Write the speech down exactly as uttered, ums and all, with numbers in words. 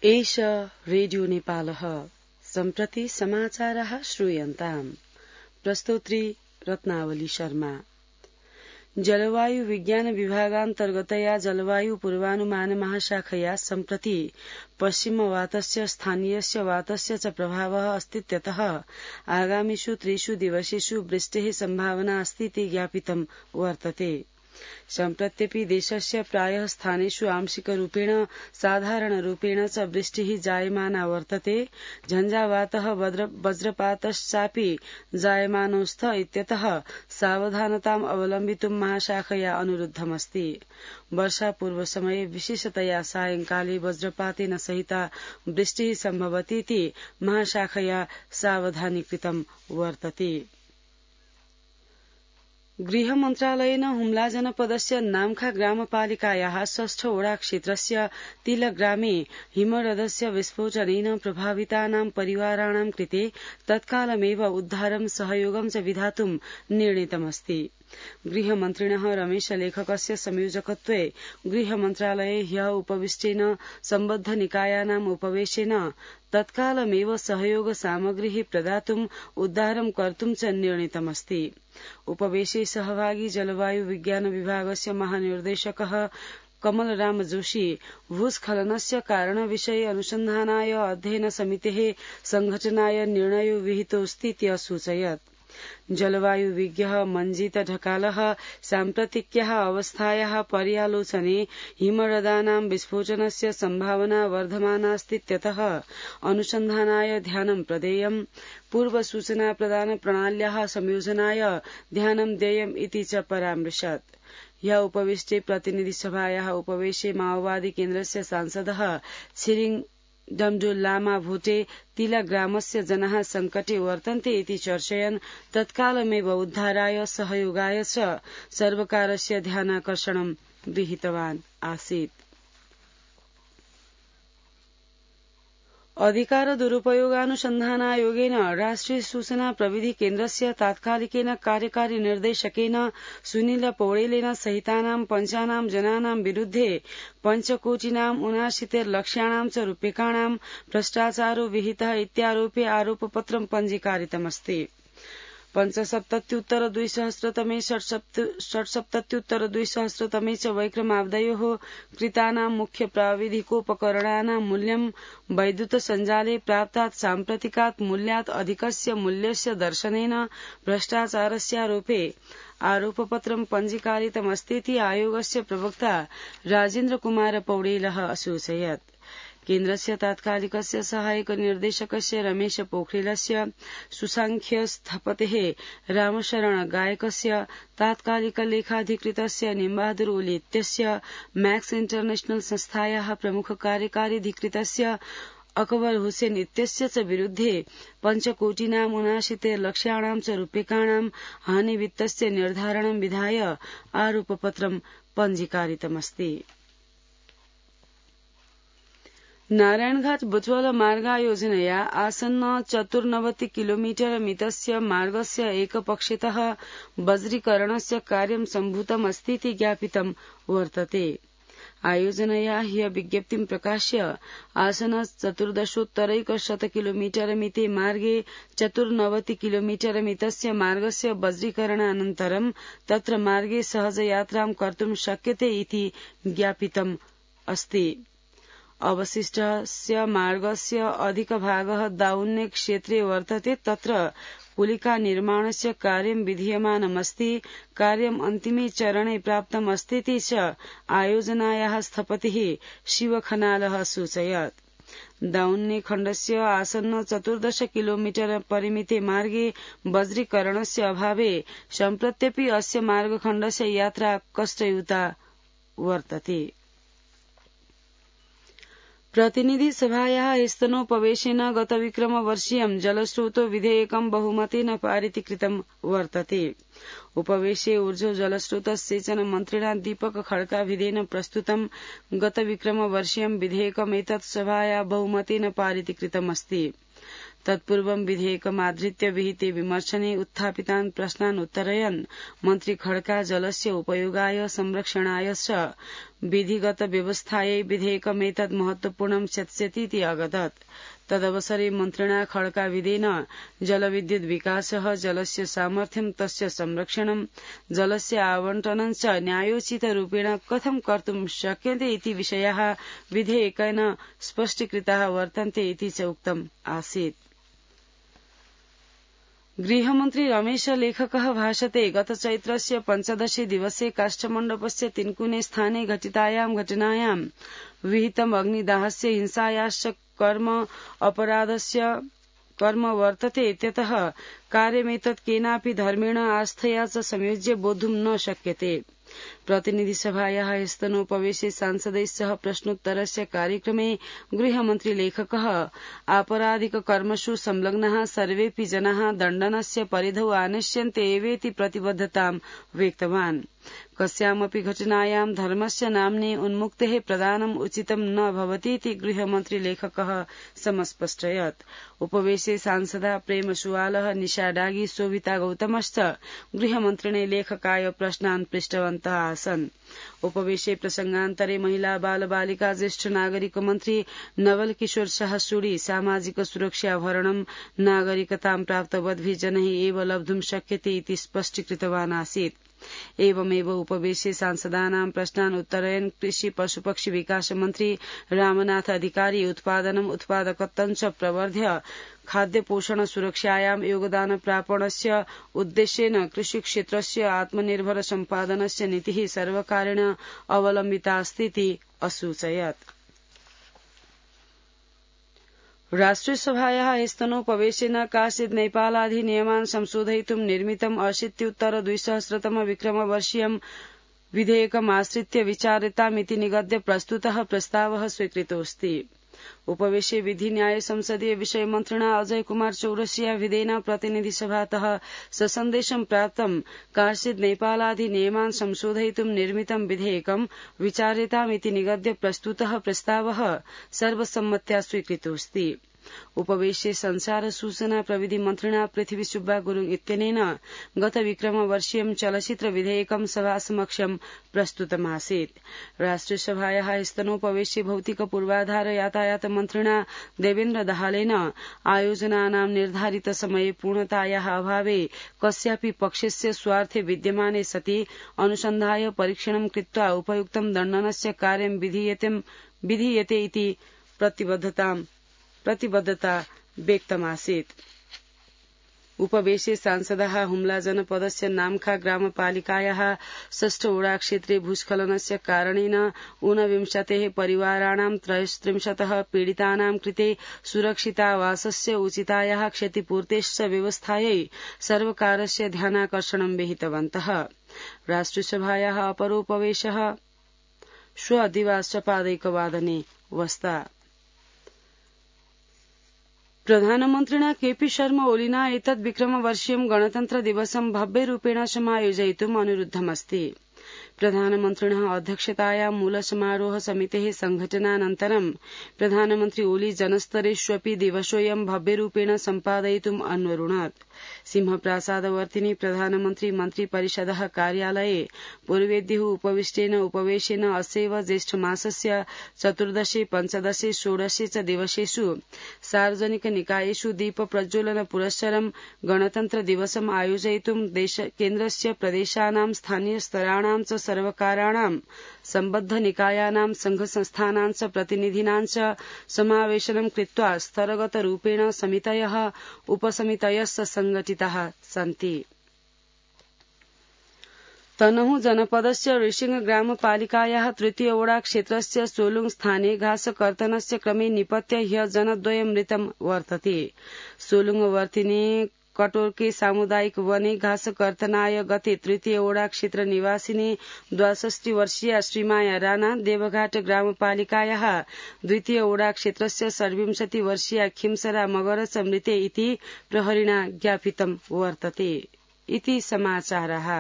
एष रेडियो नेपालः सम्प्रति समाचारः श्रूयन्ताम्। प्रस्तोत्री रत्नावली शर्मा। जलवायु विज्ञान विभागान्तर्गतया जलवायु पूर्वानुमान महाशाखया सम्प्रति पश्चिमवातस्य स्थानीयस्य वातस्य च प्रभावः अस्तीत्यतः आगामिषु त्रिषु दिवसेषु वृष्टेः सम्भावना अस्तीति ज्ञापितं वर्तते। सम्प्रत्यपि देशस्य प्रायः स्थानेषु आंशिकरूपेण साधारणरूपेण च वृष्टिः जायमाना वर्तते। झञ्झावातः वज्रपातश्चापि जायमानो स्त इत्यतः सावधानताम् अवलम्बितुं महाशाखया अनुरुद्धमस्ति। वर्षापूर्वसमये विशेषतया सायंकाले वज्रपातेन सहिता वृष्टिः सम्भवतीति महाशाखया सावधानी कृतं वर्तते। गृह मन्त्रालयेन हुम्ला जनपदस्य नाम्खा ग्रामपालिकायाः षष्ठ वडा क्षेत्रस्य तिलग्रामे हिमरथस्य विस्फोटनेन प्रभावितानां परिवाराणां कृते तत्कालमेव उद्धारं सहयोगं च विधातुं निर्णीतमस्ति। गृहमन्त्रिणः रमेशलेखकस्य संयोजकत्वे गृहमन्त्रालये ह्यः उपविष्टेन सम्बद्धनिकायानाम् उपवेशेन तत्कालमेव सहयोग सामग्रीः प्रदातुं उद्धारं कर्तुं च निर्णीतमस्ति। उपवेशे सहभागी जलवायु विज्ञान विभागस्य महानिर्देशकः कमलराम जोशी भूस्खलनस्य कारणविषये अनुसन्धानाय अध्ययन समितेः संघटनाय निर्णयो विहितोऽस्तीति असूचयत्। जलवायु विज्ञः मञ्जीत ढकालः साम्प्रतिक्याः अवस्थायाः पर्यालोचने हिमरथानां विस्फोटनस्य सम्भावना वर्धमानास्तीत्यतः अनुसन्धानाय ध्यानं प्रदेयम्, पूर्वसूचना प्रदान प्रणाल्याः संयोजनाय ध्यानं देयम् इति च परामृशत्। ह्यः उपविष्टे प्रतिनिधिसभायाः उपवेशे माओवादी केन्द्रस्य सांसदः छिरिङ डमडुल लामा भोटे तिलग्रामस्य जनाः संकटे वर्तन्ते इति चर्चयन् तत्कालमेव उद्धाराय सहयोगाय च सर्वकारस्य ध्यानाकर्षणं विहितवान् आसीत्। अधिकार दुरुपयोगानुसन्धानायोगेन राष्ट्रिय सूचना प्रविधि केन्द्रस्य तात्कालिकेन कार्यकारी निर्देशकेन सुनील पौडेलेन सहितानां पञ्चानां जनानां विरुद्धे पञ्चकोटिनाम् ऊनाशीतिर्लक्ष्याणां च रूप्यकाणां भ्रष्टाचारो विहितः इत्यारोप्य आरोपपत्रं पञ्जीकारितमस्ति। पञ्चसप्तत्युत्तर द्विसहस्रतमे षट्सप्तत्युत्तर द्विसहस्रतमे च वैक्रमाब्दयोः कृतानां मुख्य प्राविधिकोपकरणानां मूल्यं वैद्युत सञ्जाले प्राप्तात् साम्प्रतिकात् मूल्यात् अधिकस्य मूल्यस्य दर्शनेन भ्रष्टाचारस्यारोपे आरोपपत्रं पञ्जीकारितमस्तीति आयोगस्य प्रवक्ता राजेन्द्र कुमार पौडेलः असूचयत्। केन्द्रस्य तात्कालिकस्य सहायक निर्देशकस्य रमेश पोखरेलस्य, सुसांख्य स्थपतेः रामशरण गायकस्य, तात्कालिक लेखाधिकृतस्य निम्बहादुर ओली इत्यस्य, मैक्स इंटरनेशनल संस्थायाः प्रमुख कार्यकारीधिकृतस्य अकबर हुसेन इत्यस्य च विरुद्धे पञ्चकोटिनाम् ऊनाशीतिर्लक्ष्याणां च रूप्यकाणां हानिवित्तस्य निर्धारणं विधाय आरोपपत्रं पञ्जीकारितमस्ति। नारायणघाट बुटवल मार्गायोजनया आसन्न चतुर्नवति किलोमीटर मितस्य मार्गस्य एकपक्षतः बज्रीकरणस्य कार्यं सम्भूतमस्तीति ज्ञापितं वर्तते। आयोजनया ह्यः विज्ञप्तिं प्रकाश्य आसन चतुर्दशोत्तरैकशत किलोमीटर मिते मार्गे चतुर्नवति किलोमीटर मितस्य मार्गस्य बज्रीकरणानन्तरं तत्र मार्गे सहजयात्रां कर्तुं शक्यते इति ज्ञापितम् अस्ति। अवशिष्टस्य मार्गस्य अधिकभागः दाउन्ने क्षेत्रे वर्तते। तत्र पुलिका निर्माणस्य कार्यं विधीयमानमस्ति। कार्यम् अन्तिमे चरणे प्राप्तम् अस्तीति च आयोजनायाः स्थपतिः शिवखनालः सूचयत्। दाउन्ने खण्डस्य आसन्न चतुर्दश किलोमीटर परिमिते मार्गे बज्रीकरणस्य अभावे सम्प्रत्यपि अस्य मार्गखण्डस्य यात्रा कष्टयुता वर्तते। प्रतिनिधि सभायाः स्तनोपवेशेन गतविक्रमवर्षीयं जलस्रोतो विधेयकं बहुमतेन पारितीकृतं वर्तते। उपवेशे ऊर्जो जलस्रोतसेचन मन्त्रिणा दीपक खड्काभिधेन प्रस्तुतं गतविक्रमवर्षीयं विधेयकमेतत् सभाया बहुमतेन पारितीकृतमस्ति। तत्पूर्वं विधेयकमाधृत्य विहिते विमर्शने उत्थापितान् प्रश्नान् उत्तरयन् मन्त्री खड्का जलस्य उपयोगाय संरक्षणाय च विधिगत व्यवस्थायै विधेयकमेतत् महत्वपूर्णं स्यात्स्यतीति अगदत्। तदवसरे मन्त्रिणा खड्काविदेन जलविद्युत विकासः, जलस्य सामर्थ्यं, तस्य संरक्षणं, जलस्य आवंटनं च न्यायोचितरूपेण कथं कर्तुं शक्यते इति विषयाः विधेयकेन स्पष्टीकृताः वर्तन्ते इति च उक्तम् आसीत्। गृहमन्त्री रमेश लेखकः भाषते गत चैत्रस्य पञ्चदशे दिवसे काष्ठमण्डपस्य तिन्कुने स्थाने घटितायां घटनायां विहितम् अग्निदाहस्य हिंसायाश्च कर्म अपराधस्य कर्म वर्तते इत्यतः कार्यमेतत् केनापि धर्मेण आस्थया च संयोज्य बोद्धुं न शक्यते। प्रतिनिधिसभायाः स्तनोपवेशे सांसदैः सह प्रश्नोत्तरस्य कार्यक्रमे गृहमन्त्री लेखकः आपराधिक कर्मसु संलग्नाः सर्वेऽपि जनाः दण्डनस्य परिधौ आनश्यन्ते एवेति प्रतिबद्धतां व्यक्तवान्। कस्यामपि घटनायां धर्मस्य नाम्ने उन्मुक्तेः प्रदानम् उचितं न भवतीति गृहमन्त्री लेखकः समस्पष्टयत्। उपवेशे सांसदा प्रेम सुवालः, निशा डागी, शोभिता गौतमश्च गृहमन्त्रिणे लेखकाय प्रश्नान् पृष्टवन्तः आसन्। उपवेशे प्रसंगान्तरे महिला बाल बालिका ज्येष्ठ नागरिक मन्त्री नवल किशोर शाह सुडी सामाजिक सुरक्षा भरणं नागरिकतां प्राप्तवद्भिः जनैः एव लब्धुं शक्यते इति स्पष्टीकृतवान् आसीत्। एवमेव उपवेशे सांसदानां प्रश्नान् उत्तरयन् कृषि पशुपक्षी विकास मन्त्री रामनाथ अधिकारी उत्पादनम् उत्पादकत्वं च प्रवर्ध्य खाद्य पोषण सुरक्षायां योगदान प्रापणस्य उद्देश्येन कृषिक्षेत्रस्य आत्मनिर्भर सम्पादनस्य नीतिः सर्वकारेण अवलम्बिता अस्तीति असूचयत्। राष्ट्रियसभायाः स्तनोपवेशेन काचित् नेपालाधिनियमान् संशोधयितुं निर्मितम् अशीत्युत्तर द्विसहस्रतम विक्रमवर्षीयं विधेयकमाश्रित्य विचार्यतामिति निगद्य प्रस्तुतः प्रस्तावः स्वीकृतोऽस्ति। उपवेशे विधि न्याय संसदीय विषय मन्त्रिणा अजय कुमार चौरसिया विधेन प्रतिनिधिसभातः ससन्देशं प्राप्तं काचित् नेपालाधिनियमान् संशोधयितुं निर्मितं विधेयकं विचार्यतामिति निगद्य प्रस्तुतः प्रस्तावः सर्वसम्मत्या स्वीकृतोऽस्ति। उपवेशे संचार सूचना प्रविधि मन्त्रिणा पृथ्वी सुब्बा गुरुङ इत्यनेन गत विक्रमवर्षीयं चलचित्र विधेयकं सभासमक्षं प्रस्तुतमासीत्। राष्ट्रियसभायाः स्तनोपवेशे भौतिक पूर्वाधार यातायात मन्त्रिणा देवेन्द्र दाहालेन आयोजनानां निर्धारित समये पूर्णतायाः अभावे कस्यापि पक्षस्य स्वार्थे विद्यमाने सति अनुसन्धाय परीक्षणं कृत्वा उपयुक्तं दण्डनस्य कार्यं विधीयते इति प्रतिबद्धतां प्रतिबद्धता व्यक्तमासीत्। उपवेशे सांसदाः हुम्ला जनपदस्य नाम्खा ग्रामपालिकायाः षष्ठ ओडा क्षेत्रे भूस्खलनस्य कारणेन ऊनविंशतेः परिवाराणां त्रयस्त्रिंशतः पीडितानां कृते सुरक्षितावासस्य उचितायाः क्षतिपूर्तेश्च व्यवस्थायै सर्वकारस्य ध्यानाकर्षणं विहितवन्तः। राष्ट्रियसभायाः अपरोपवेशः श्वः दिवासपादैकवादने वस्ता। प्रधानमन्त्रिणा केपी शर्मा ओलिना एतद् विक्रमवर्षीयं गणतन्त्र दिवसं भव्यरूपेण समायोजयितुम् अनुरुद्धमस्ति। प्रधानमन्त्रिणः अध्यक्षतायां मूलसमारोह समितेः संघटनानन्तरं प्रधानमन्त्री ओली जनस्तरेष्वपि दिवसोऽयं भव्यरूपेण सम्पादयितुम् अन्वरुणत्। सिंहप्रासादवर्तिनि प्रधानमन्त्री मन्त्रिपरिषदः कार्यालये पूर्वेद्युः उपविष्टेन उपवेशेन अस्यैव ज्येष्ठमासस्य चतुर्दशे पञ्चदशे षोडशे च दिवसेषु सार्वजनिक निकायेषु दीप प्रज्वलन पुरस्सरं गणतन्त्र दिवसम् आयोजयितुं केन्द्रस्य प्रदेशानां स्थानीय स्तराणां च सर्वकाराणां सम्बद्ध निकायानां संघसंस्थानां च प्रतिनिधीनां च समावेशनं कृत्वा स्तरगतरूपेण समितयः उपसमितयश्च संघटिताः सन्ति। तनहु जनपदस्य ऋषिंग ग्रामपालिकायाः तृतीय ओडा क्षेत्रस्य सोलुङ स्थाने घासकर्तनस्य क्रमे निपत्य ह्यः जनद्वयं मृतं वर्तते। सोलुङवर्तिनी कटोर्के सामुदायिक वने घासकर्तनाय गते तृतीय ओडा क्षेत्र निवासिनी द्वाषष्टि वर्षीया श्रीमाया राणा, देवघाट ग्रामपालिकायाः द्वितीय ओडा क्षेत्रस्य षड्विंशति वर्षीया खिमसरा मगर च मृते इति प्रहरिणा ज्ञापितं वर्तते। इति समाचारः।